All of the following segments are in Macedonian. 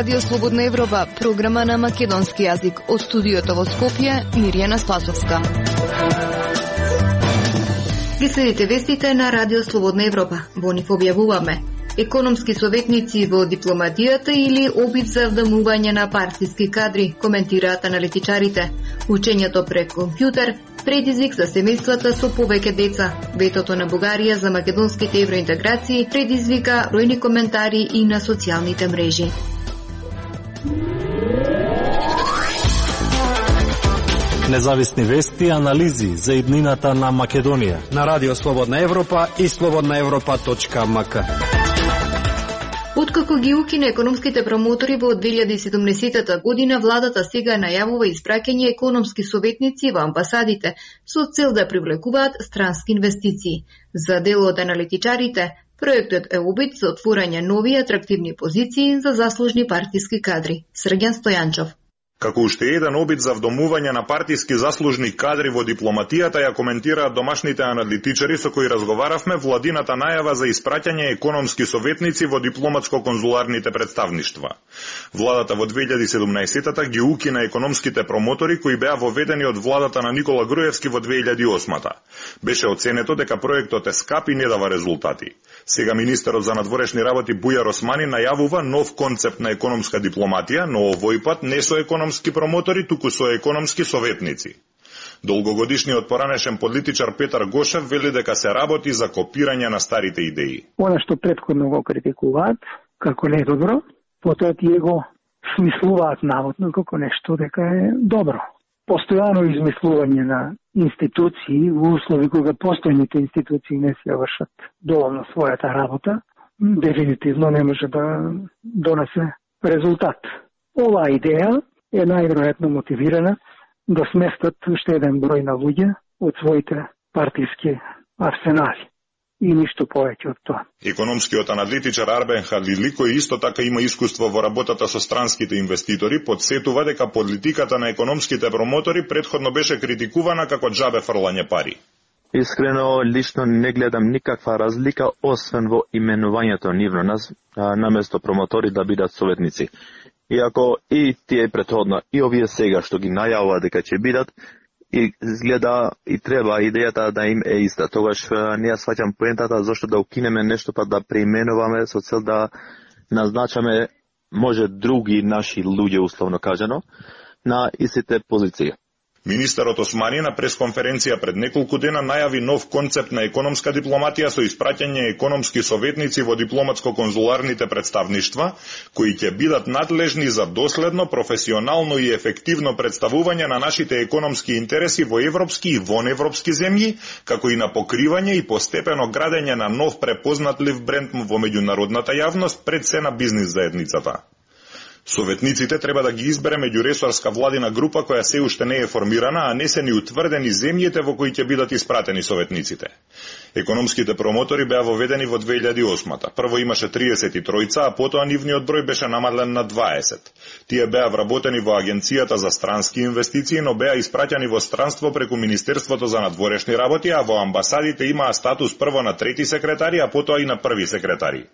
Радио Слободна Европа, програма на македонски јазик. Од студиото во Скопје, Мирјана Спасовска. Ги следите вестите на Радио Слободна Европа. Во нив објавуваме: економски советници во дипломатијата или обид за вдамување на партиски кадри, коментираат аналитичарите. Учењето пред компјутер, предизвик за семејствата со повеќе деца. Ветото на Бугарија за македонските евроинтеграции предизвика бројни коментари и на социјалните мрежи. Независни вести и анализи за иднината на Македонија на Радио Слободна Европа и slobodnaevropa.mk. Откако ги укина економските промотори во 2017 година, владата сега најавува испраќање економски советници во амбасадите со цел да привлекуваат странски инвестиции. За дел од аналитичарите, проектот е обид за отворање нови атрактивни позиции за заслужни партиски кадри. Срѓан Стојанчов. Како уште еден обид за вдомување на партиски заслужни кадри во дипломатијата ја коментираат домашните аналитичари со кои разговаравме владината најава за испраќање економски советници во дипломатско-конзуларните представништва. Владата во 2017-та ги укина економските промотори кои беа воведени од владата на Никола Груевски во 2008-та. Беше оценето дека проектот е скап и не дава резултати. Сега министерот за надворешни работи Бујар Османи најавува нов концепт на економска дипломатија, но овој пат не со економски промотори, туку со економски советници. Долгогодишниот поранешен политичар Петар Гошев вели дека се работи за копирање на старите идеи. Она што претходно го критикуваат како не добро, потоа тие го смислуваат наводно како нешто дека е добро. Постојано измислување на институции во услови кога постојните институции не се вршат доволно својата работа, дефинитивно не може да донесе резултат. Оваа идеја е најверојатно мотивирана да сместат уште еден број на луѓе од своите партиски арсенали. И ништо повеќе од тоа. Економскиот аналитичар Арбен Халили, кој исто така има искуство во работата со странските инвеститори, подсетува дека политиката на економските промотори претходно беше критикувана како џабе фрлање пари. Искрено, лично не гледам никаква разлика, освен во именувањето нивно нас, наместо промотори да бидат советници. Иако и тие претходно, и овие сега што ги најавува дека ќе бидат, и изгледа и треба идејата да им е иста. Тогаш не ја сваќам поентата зашто да укинеме нешто па да преименуваме со цел да назначаме може други наши луѓе, условно кажано, на истите позиции. Министерот Османи на пресконференција пред неколку дена најави нов концепт на економска дипломатија со испраќање економски советници во дипломатско-конзуларните представништва, кои ќе бидат надлежни за доследно, професионално и ефективно представување на нашите економски интереси во европски и воневропски земји, како и на покривање и постепено градење на нов препознатлив бренд во меѓународната јавност пред се на бизнис заедницата. Советниците треба да ги избере меѓуресорска владина група која се уште не е формирана, а не се ни утврдени земјите во кои ќе бидат испратени советниците. Економските промотори беа воведени во 2008-та. Прво имаше 33, а потоа нивниот број беше намален на 20. Тие беа вработени во Агенцијата за странски инвестиции, но беа испраќани во странство преку Министерството за надворешни работи, а во амбасадите имаа статус прво на трети секретари, а потоа и на први секретари.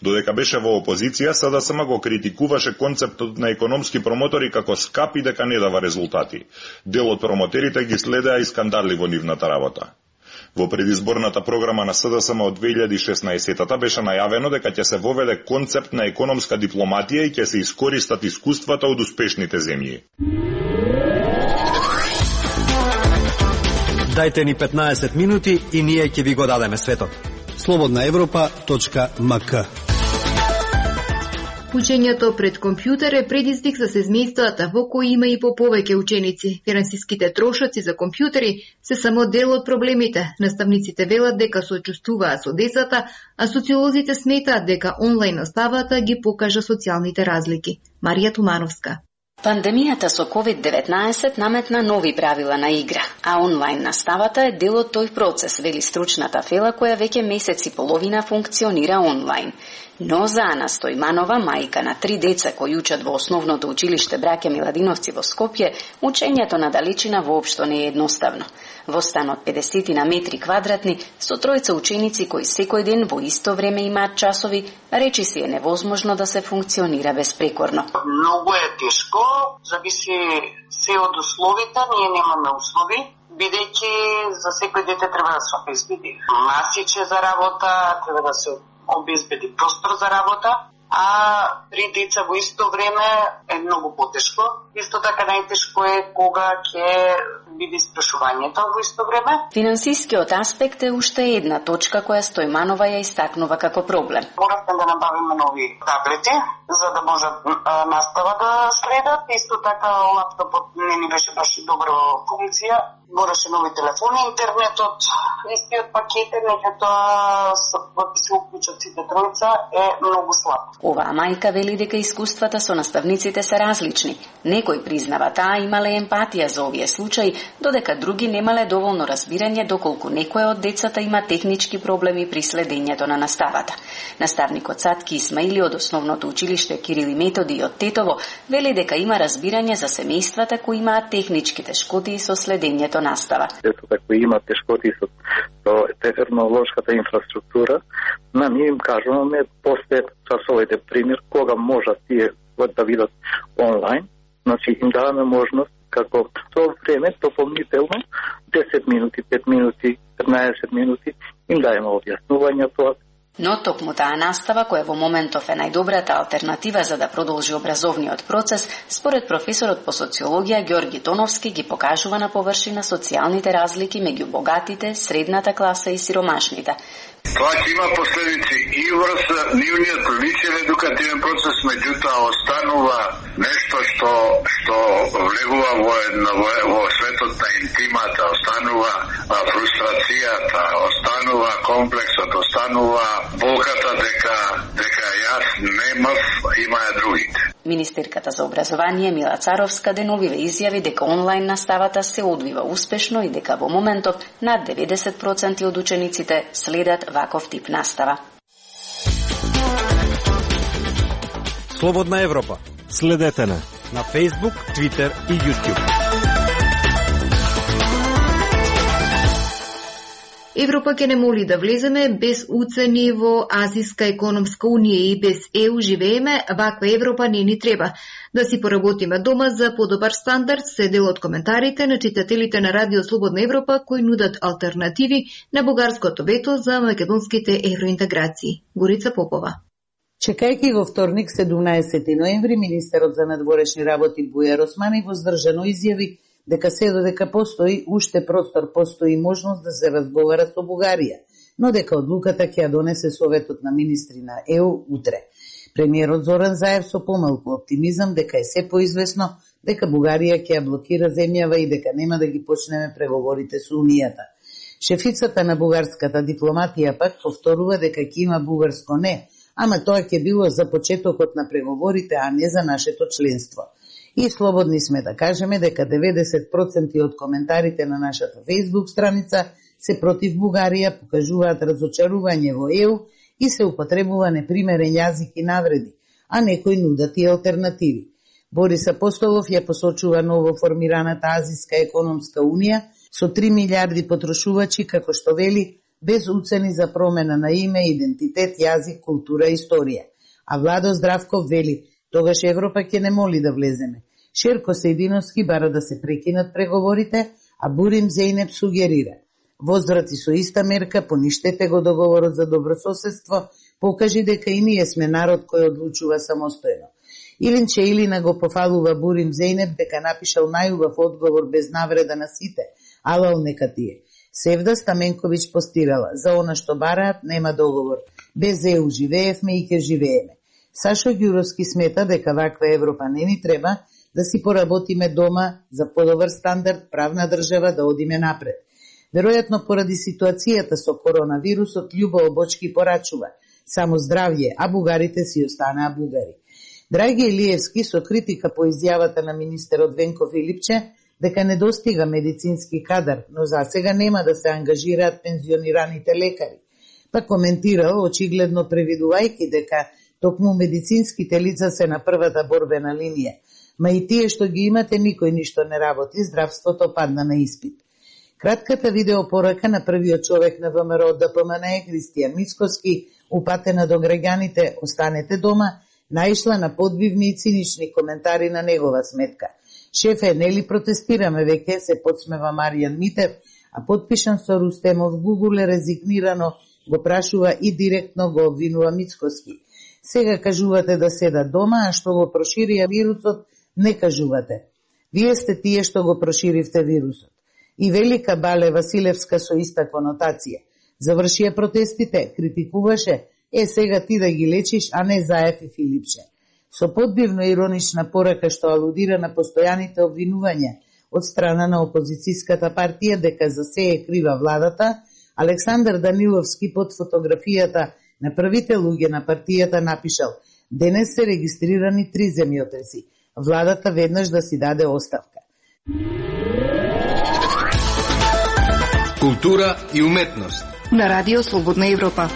Додека беше во опозиција, СДСМ го критикуваше концептот на економски промотори како скап и дека не дава резултати. Дел од промотерите ги следеа и скандали во нивната работа. Во предизборната програма на СДСМ од 2016-та беше најавено дека ќе се воведе концепт на економска дипломатија и ќе се искористат искуствата од успешните земји. Дајте ни 15 минути и ние ќе ви го дадеме светот. slobodnaevropa.mk. Учењето пред компјутер е предизвик за семејствата во кои има и по повеќе ученици. Финансиските трошоци за компјутери се само дел од проблемите. Наставниците велат дека сочувствуваат со децата, а социолозите сметаат дека онлайн наставата ги покажа социјалните разлики. Марија Тумановска. Пандемијата со COVID-19 наметна нови правила на игра, а онлайн наставата е дел од тој процес, вели стручната фела која веќе месец и половина функционира онлайн. Но за Ана Стојманова, мајка на 3 деца кои учат во основното училиште Браќа Миладиновци во Скопје, учењето на далечина воопшто не е едноставно. Во стан од 50 на метри квадратни, со тројца ученици кои секој ден во исто време имаат часови, Речи си е невозможно да се функционира безпрекорно. Многу е тешко, зависи се од условите, ние немаме услови, бидејќи за секој дете треба да се обезбеди масиче за работа, треба да се обезбеди простор за работа, а при деца во исто време е многу потешко. Исто така најтешко е кога ќе биде испрашувањето во исто време. Финансискиот аспект е уште една точка која Стојманова ја истакнува како проблем. Моравме да набавиме нови таблети за да може настава да следат. Исто така лаптопот не ни беше баш добро функција. Мораше нови телефони, интернетот, истиот пакет, меѓутоа да се уклучат сите тројца е многу слаб. Оваа мајка вели дека искуствата со наставниците се различни. Некој признава таа имале емпатија за овие случаи, додека други немале доволно разбирање доколку некој од децата има технички проблеми при следењето на наставата. Наставникот Сатки Исмаили од основното училиште Кирил и Методи од Тетово вели дека има разбирање за семејствата кои имаат технички тешкоти со следењето настава. Децата кои имаат тешкоти со технолошката инфраструктура, ние им кажуваме после часовите пример кога можат тие да видат онлайн, значи им даваме можност како со време дополнително 10 минути, 5 минути, 15 минути им дајаме објаснувања тоа. Но токму таа настава, која во моментов е најдобрата алтернатива за да продолжи образовниот процес, според професорот по социологија Ѓорги Тоновски ги покажува на површина социјалните разлики меѓу богатите, средната класа и сиромашните. Тоа ќе има последици и врз нивниот личен едукативен процес, меѓутоа останува нешто што влегува во светот на интимата, останува фрустрацијата, останува комплексот, останува болката дека јас немав, имаја другите. Министерката за образование Мила Царовска деновиве изјави дека онлайн наставата се одвива успешно и дека во моментов над 90% од учениците следат ваков тип настава. Слободна Европа. Следете на Facebook, Twitter и YouTube. Европа ќе не моли да влеземе без уцени во Азиска економска унија и без ЕУ живееме, ваква Европа не ни треба. Да си поработиме дома за подобар стандард се дел од коментарите на читателите на Радио Слободна Европа кои нудат алтернативи на бугарското вето за македонските евроинтеграции. Горица Попова. Чекајќи го вторник 17 ноември, министерот за надворешни работи Бујар Османи воздржано изјави дека се додека постои уште простор, постои можност да се разговара со Бугарија, но дека одлуката ќе ја донесе Советот на министри на ЕУ утре. Премиерот Зоран Заев со помалку оптимизам дека е се поизвестно дека Бугарија ќе ја блокира земјава и дека нема да ги почнеме преговорите со Унијата. Шефицата на бугарската дипломатија пак повторува дека ќе има бугарско не, ама тоа ќе било за почетокот на преговорите, а не за нашето членство. И слободни сме да кажеме дека 90% од коментарите на нашата Facebook страница се против Бугарија, покажуваат разочарување во ЕУ и се употребува непримерен јазик и навреди, а некои нудат и алтернативи. Борис Апостолов ја посочува ново формираната Азиска економска унија со 3 милиарди потрошувачи, како што вели, без уцени за промена на име, идентитет, јазик, култура и историја. А Владо Здравков вели, тогаш Европа ќе не моли да влеземе. Шерко Сејдиновски бара да се прекинат преговорите, а Бурим Зејнеп сугерира. Возврати со иста мерка, поништете го договорот за добрососедство, покажи дека и ние сме народ кој одлучува самостојно. Илинче Илина го пофалува Бурим Зејнеп дека напишал најубав одговор без навреда на сите, алал нека тие. Севда Стаменковиќ постирала, за она што бараат нема договор, без ЕУ живеевме и ќе живееме. Сашо Ѓуровски смета дека ваква Европа не ни треба, да си поработиме дома за подобар стандард, правна држава, да одиме напред. Веројатно поради ситуацијата со коронавирусот, Љубо Обочки порачува само здравје, а бугарите си останаа бугари. Драги Илиевски со критика по изјавата на министерот Венко Филипче дека недостига медицински кадар, но засега нема да се ангажираат пензионираните лекари. Па коментирал, очигледно превидувајќи дека токму медицинските лица се на првата борбена линија, ма и тие што ги имате никој ништо не работи, здравството падна на испит. Кратката видеопорака на првиот човек на ВМРО ДПМН Христијан Мицкоски, упатена до граѓаните "Останете дома", наишла на подбивни и цинични коментари на негова сметка. "Шефе, нели протестираме веќе", се подсмева Маријан Митев, а подпишан со Рустемов Гугуле резигнирано го прашува и директно го обвинува Мицкоски. "Сега кажувате да седат дома, а што го проширија вирусот, не кажувате. Вие сте тие што го проширивте вирусот." И Велика Бале Василевска со иста конотација. Завршија протестите, критикуваше, сега ти да ги лечиш, а не Заев и Филипче. Со подбивно иронична порака што алудира на постојаните обвинувања од страна на опозицијската партија дека за се е крива владата, Александар Даниловски под фотографијата на првите луѓе на партијата напишал: "Денес се регистрирани 3 земјотреси. Владата веднаш да си даде оставка." Култура и уметност на Радио Слободна Европа.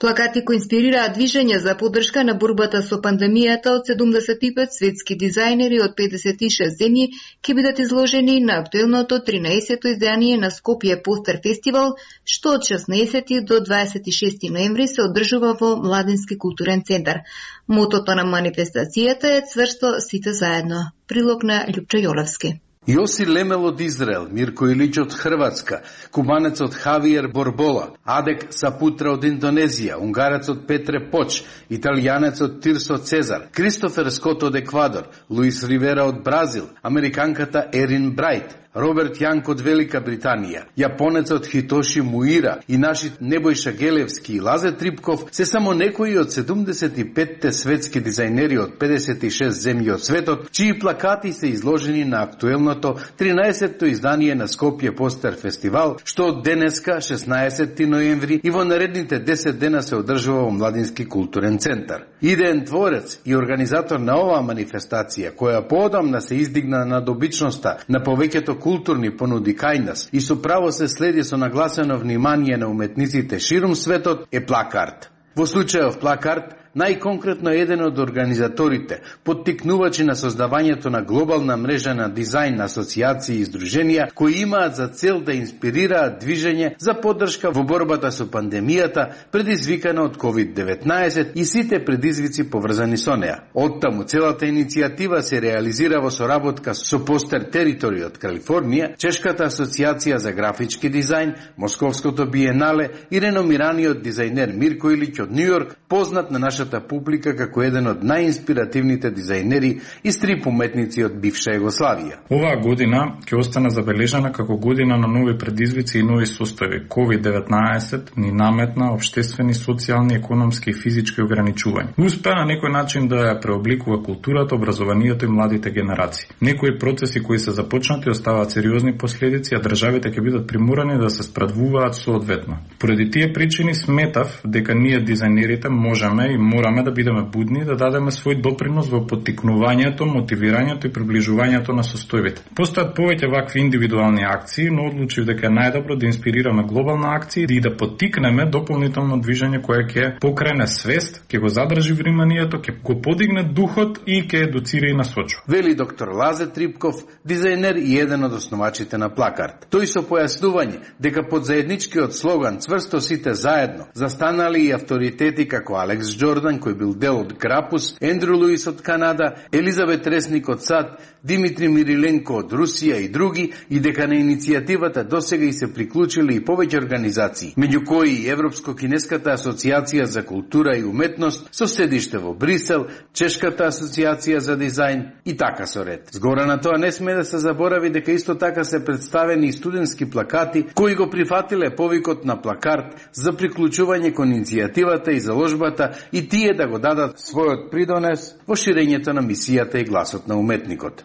Плакати кои инспирираат движење за поддршка на борбата со пандемијата од 75 светски дизајнери од 56 земји ќе бидат изложени на актуелното 13-то издание на Скопје Постер Фестивал, што од 16 до 26 ноември се одржува во Младински културен центар. Мотото на манифестацијата е "Цврсто сите заедно". Прилог на Љупчо Јолевски. Јоси Лемел од Израел, Мирко Илич од Хрватска, кубанецот Хавиер Борбола, Адек Сапутра од Индонезија, унгарецот Петре Поч, италијанецот Тирсо Цезар, Кристофер Скот од Еквадор, Луис Ривера од Бразил, американката Ерин Брайт, Роберт Јанк од Велика Британија, јапонецот Хитоши Муира и нашите Небојша Гелевски и Лазе Трипков се само некои од 75-те светски дизајнери од 56 земји од светот, чии плакати се изложени на актуелното 13-то издание на Скопје Постер Фестивал, што од денеска, 16 ноември, и во наредните 10 дена се одржува во Младински културен центар. Идеен творец и организатор на оваа манифестација, која поодамна се издигна над обичноста на повеќето културни понуди кај нас и со право се следи со нагласено внимание на уметниците ширум светот, е Плакарт. Во случајов Плакарт, најконкретно еден од организаторите, поттикнувачи на создавањето на глобална мрежа на дизајн асоциации и издруженија кои имаат за цел да инспирираат движење за поддршка во борбата со пандемијата предизвикана од COVID-19 и сите предизвици поврзани со неа. Оттаму целата иницијатива се реализира во соработка со Постер Територија од Калифорнија, Чешката асоциација за графички дизајн, Московското биенале и реномираниот дизајнер Мирко Илич од Њујорк, познат на нашата публика како еден од најинспиративните дизајнери и стрип уметници од бивша Југославија. Оваа година ќе остане забележана како година на нови предизвици и нови состави. COVID-19 ни наметна општествени, социјални, економски и физички ограничувања. Успеа на некој начин да ја преобликува културата, образованието и младите генерации. Некои процеси кои се започнати оставаат сериозни последици, а државите ќе бидат приморани да се спрадвуваат соодветно. Поради тие причини сметав дека ние дизајнерите можеме и мораме да бидеме будни да дадеме свој допринос во поттикнувањето, мотивирањето и приближувањето на состојбите. Постојат повеќе вакви индивидуални акции, но одлучив дека е најдобро да инспирираме глобална акција и да поттикнеме дополнително движење кое ќе покрене свест, ќе го задржи вниманието, ќе го подигне духот и ќе едуцира и насочува. Вели доктор Лазе Трипков, дизајнер и еден од основачите на Плакарт. Тој со појаснување дека под заедничкиот слоган "Цврсто сите заедно" застанали и авторитети како Алекс Джордан, кој бил дел од Грапус, Ендрю Луис од Канада, Елизабет Ресник од САД, Димитри Мириленко од Русија и други, и дека на иницијативата досега и се приклучили и повеќе организации, меѓу кои и Европско-кинеската асоциација за култура и уметност со седиште во Брисел, Чешката асоциација за дизајн и така со ред. Згора на тоа не сме да се заборави дека исто така се представени и студентски плакати кои го прифатиле повикот на Плакарт за приклучување кон иницијативата и заложбата и тие да го дадат својот придонес во ширењето на мисијата и гласот на уметникот.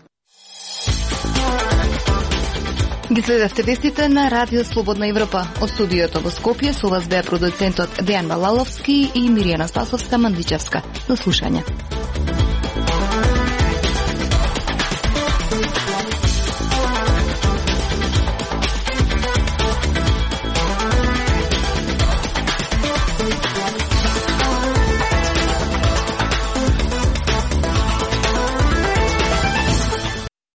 Ги следевте вестите на Радио Слободна Европа. Од студиото во Скопје со вас беа продуцентот Дејан Балаловски и Миријана Спасовска-Мандичевска. До слушање.